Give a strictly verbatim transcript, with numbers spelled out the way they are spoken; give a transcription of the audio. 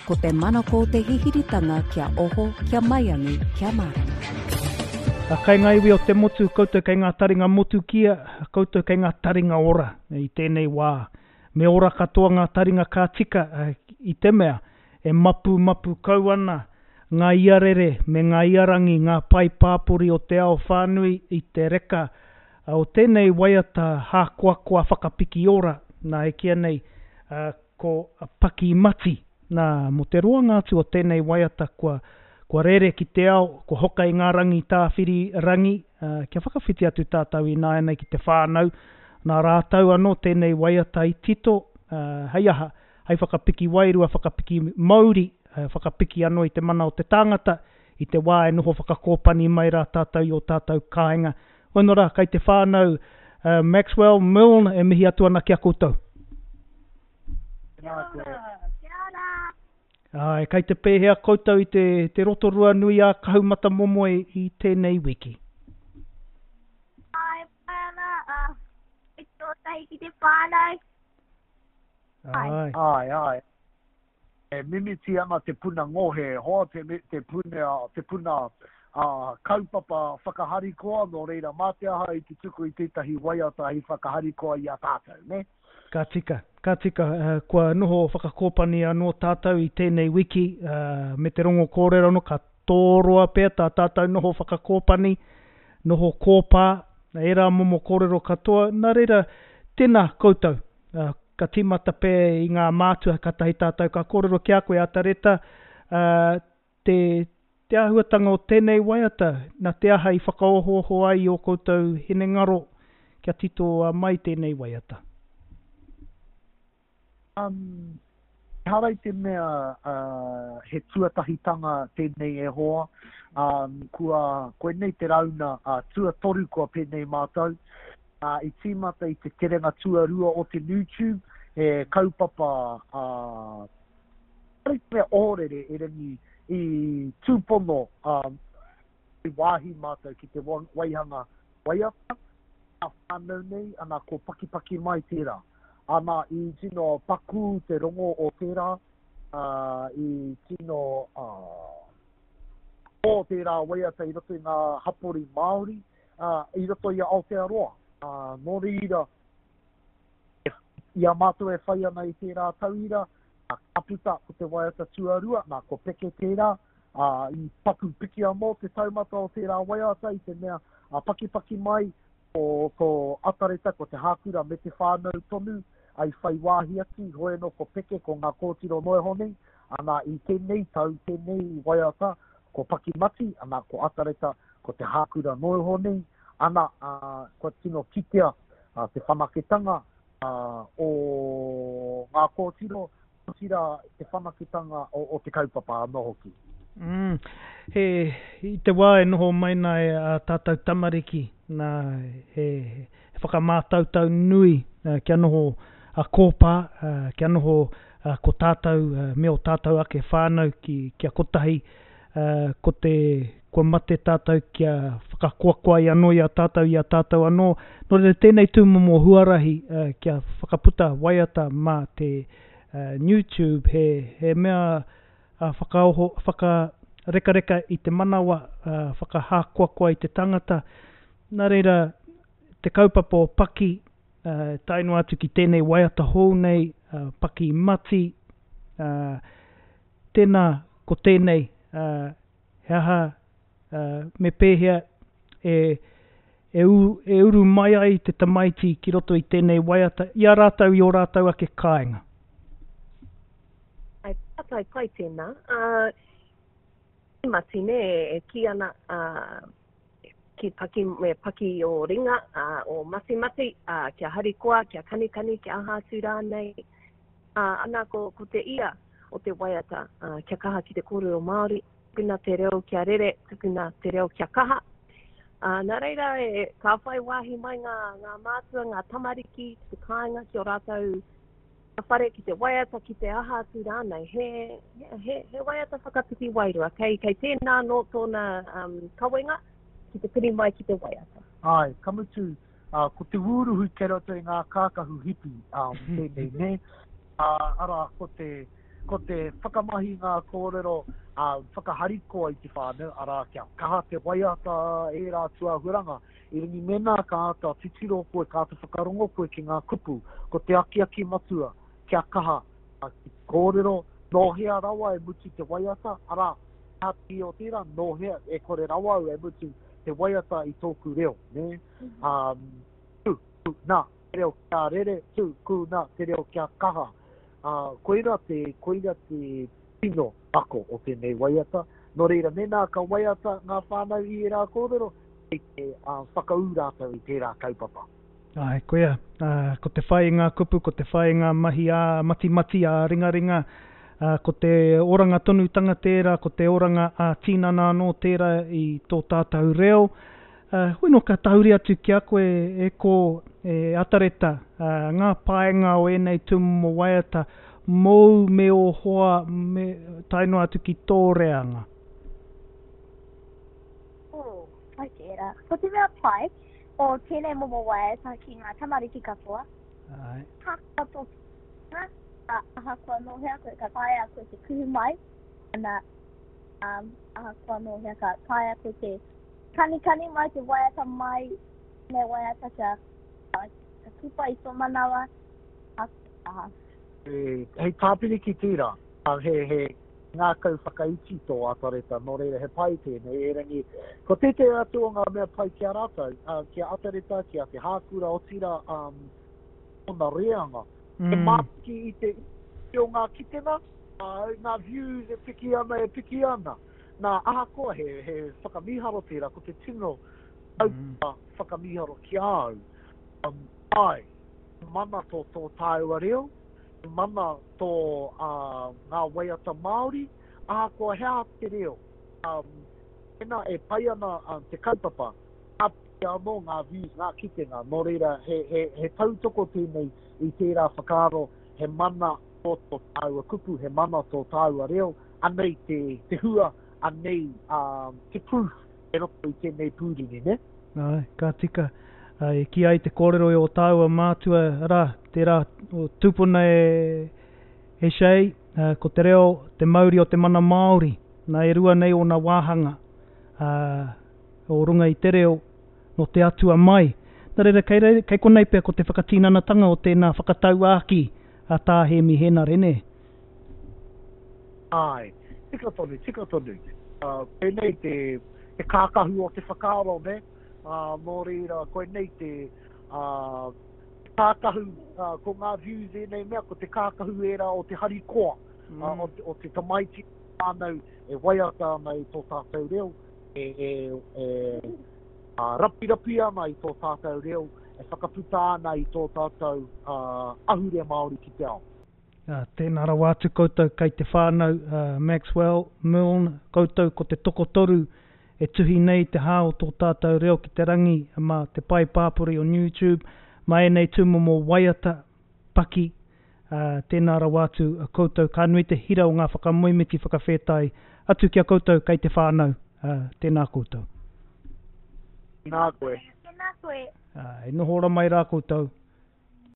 Ko te manako o te hihiritanga kia oho, kia maiangi, kia mārama. Kei ngā iwi o te motu, koutou kei ngā taringa motukia, koutou kei ngā taringa ora i tēnei wā. Me ora katoa ngā taringa ka tika i te mea e mapu mapu kau ana ngā iarere me ngā iarangi, ngā pae pāpori o te ao whānui i te reka o tēnei waiata hākoakoa whakapiki ora, nā e kīia nei ko Paki Mati. Nā, mō te roanga atu o tēnei waiata kua, kua rere ki te ao, kua hoka i ngā rangi tāwhiri rangi, uh, kia whakawhiti atu tātou ināianei ki te whānau. Nā rātou anō tēnei waiata i tito, uh, hei aha, hei whakapiki wairua, whakapiki mauri, uh, whakapiki anō i te mana o te tāngata, i te wā e noho whakakōpani mai rā tātou i o tātou kāinga. Hono rā, kei te whānau uh, Maxwell Milne e mihi atu ana ki a koutou. Kia ora. Kia ora. Ai, kei te pēhea koutou i te, te Rotorua nui a Kahumatamomoe i tēnei wiki? Ai, pai ana, uh, i tōtahi ki te whānau. Ai. Ai, ai. E mimiti ana te puna ngohe, hoa te, te puna, te puna uh, kaupapa whakaharikoa, nō reira mā te aha i te tuku i tētahi waiata hei whakaharikoa i a tātou, ne? Ka tika, ka tika, uh, kua noho whakakōpani anō tātou i tēnei wiki, uh, me te rongo kōrero anō, ka tōroa pea tā tātou noho whakakōpani, noho kōpā, ērā momo kōrero katoa. Nā reira, tēnā koutou, uh, ka tīmata pea i ngā mātua, katahi tātou ka kōrero ki a koe Atareta, uh, te, te āhuatanga o tēnei waiata, nā te aha i whakaohooho ai i ō koutou hinengaro kia titoa mai tēnei waiata? Um, ehara i te mea uh, he tuatahitanga tēnei e hoa, um, kua, koinei te rauna uh, tuatoru kua pēnei mātou. Uh, i tīmata i te terenga tuarua o te YouTube, he kaupapa uh, ehara i te mea ohorere erangi i tūpono um, i wāhi mātou ki te waihanga waiata, a whānau nei, ana ko Pakipaki mai tērā. Ana i tino paku te rongo o tērā, uh, i tino uh, o tērā waiata i roto i ngā hapori Māori, uh, i roto i a Aotearoa. Uh, nō reira, i a mātou e whai ana i tērā tauira, uh, ka puta ko te waiata tuarua, nā ko Peke tērā, uh, i paku piki anō te taumata o tērā waiata i te mea uh, pakipaki mai ko, ko Atareta, ko te Hākura me te whānau tonu, ai whai wāhi atu, hoi anō ko Peke, ko ngā kōtiro noa nei, ana i tēnei tau, tēnei waiata, ko Pakimati, ana ko Atareta, ko te Hākura noa nei, ana uh, kua tino kitea uh, te whanaketanga uh, o ngā kōtiro, otirā te whanaketanga o, o te kaupapa anō hoki. Mm, he, i te wā e noho mai nā e a tātou tamariki, nā, he, he whakamātautau nui uh, kia noho a kōpā, uh, kia noho uh, ko tātou, uh, me o tātou ake whānau ki, kia kotahi, uh, ko te, kua mate tātou kia whakakoakoa i anō i a tātou, i a tātou anō. Nō reira tēnei tūmomo huarahi uh, kia whakaputa waiata mā te uh, YouTube, he, he mea uh, whakaoho, whakarekareka i te manawa, uh, whakahākoakoa i te tangata. Nā reira, te kaupapa o Paki, uh, tae noa atu ki tēnei waiata hou nei, uh, Paki Mati, uh, tēnā ko tēnei, uh, he aha, uh, me pēhea e, e, u, e uru mai ai te tamaiti ki roto i tēnei waiata, i a rātou i o rātou ake kāinga. Ai, pātai pai tēnā. Uh, mati ne, e kī ana, uh, ki paki, me paki o ringa, uh, o matimati, uh, kia harikoa, kia kanikani, kia aha atu rānei. Uh, ana ko, ko te ia o te waiata, uh, kia kaha ki te kōrero Māori, tukuna te reo kia rere, tukuna te reo kia kaha. Uh, nā reira, e, ka whai wāhi mai ngā, ngā mātua, ngā tamariki, ki te kāinga, ki o rātou whare, ki te waiata, ki te aha atu rānei. He, he, he, he waiata whakapiki wairua. Kei, kei tēnā nō tōna um, kawenga ki te piri mai ki te waiata. Ai, ka mutu, uh, ko te wūruhu kei roto i ngā kākahu hipi, um, tēnei, ne? Uh, ara, ko te, ko te whakamahi ngā kōrero uh, whakaharikoa i te whānau, arā, kia kaha te waiata ērā tūāhuranga. I ringi mēnā ka āta titiro koe, ka āta whakarongo koe ki ngā kupu, ko te akiaki matua, kia kaha uh, ki te kōrero, nō hea rawa e mutu te waiata, arā, he aha te o tērā, nō hea, e kore rawa au e mutu te waiata i tōku reo, nē? Um, tū, tū, nā, te reo kia rere, tū, kū, nā, te reo kia kaha. Uh, koira te, koira te tino ako o tēnei waiata. Nō reira, mēnā ka waiata ngā whānau i ērā kōrero, kei te uh, whakaū rātou i tērā kaupapa. Āe, koia, uh, ko te whai i ngā kupu, ko te whai i ngā mahi ā matimati, ā ringaringa, uh, ko te oranga tonutanga tērā, ko te oranga ā tīnana anō tērā i tō tātou reo. Uh, hoi nō ka tahuri atu ki a koe e ko e Atareta, uh, ngā paenga o ēnei tūmomo waiata, mōu me ō hoa, me, tae noa atu ki tō reanga. Oh, pai tērā. Ko te mea pai o tēnei momo waiata ki ngā tamariki katoa. Āe. Ahakoa tō tūranga, ahakoa nō hea koe ka taea koe te kuhu mai, ana, um, ahakoa nō hea ka taea koe te kanikani mai, te waiata mai, tēnei waiata kia, kia kipa i tō manawa, aha. E, hei tāpiri ki tērā, he, he ngākau whakaiti tō Atareta, nō reira he pai tēnei, erangi, ko tētehi atu o ngā mea pai ki a rātou, uh, ki a Atareta, ki a Te Hākura, otirā, um, tōna reanga. Mm. He mātiki i te i o ngā kitenga, uh, ngā views e piki ana, e piki ana. Nā, ahakoa he, he whakamīharo tērā, ko te tino kaupapa mm. whakamīharo ki a au. Um, ai, mana tō tō tāua reo, mana tō uh, ngā waiata Māori, ahakoa he aha te reo. Um, mēnā e pai ana um, te kaupapa, ka piki anō ngā views, ngā kitenga, nō reira he, he, he tautoko tēnei i tērā whakaaro, he mana tō tō tāua kupu, he mana tō tāua reo, anei te, te hua, anei um, te proof e roto i tēnei pūrini, ne? Ai, ka tika. E kī ai te kōrero i o tāua mātua, arā, tērā o tūpuna e, e Shay, ko te reo, te mauri o te mana Māori, nā e rua nei ōna wāhanga, uh, o runga i te reo, no te atua mai. Nā reira, kei, reira, kei konei pea ko te whakatinanatanga o tēnā whakatauākī a Tā Hēmi Hēnare, nē? Ai, tika tonu, tika tonu. Uh, koinei te, te kākahu o te whakaaro, ne? Uh, nō reira, koinei te, uh, te kākahu, uh, ko ngā views ēnei mea, ko te kākahu ērā o te harikoa, mm. uh, o, te, o te tamaiti whānau e waiata ana i tō tātou reo, e, e, e uh, rapirapi ana i tō tātou reo, e whakaputa ana i tō tātou uh, ahurea Māori ki te ao. Uh, tēnā rawa atu koutou kei te whānau, uh, Maxwell, Milne, koutou ko te tokotoru e tuhi nei te hā o tō tātou reo ki te rangi mā te pae pāpori o YouTube, mā ēnei tūmomo waiata, paki, uh, tēnā rawa atu koutou, ka nui te hira o ngā whakamoemiti whakawhētai atu ki a koutou kei te whānau, uh, tēnā koutou. Tēnā koe. Tēnā koe. Uh, e noho ora mai rā koutou.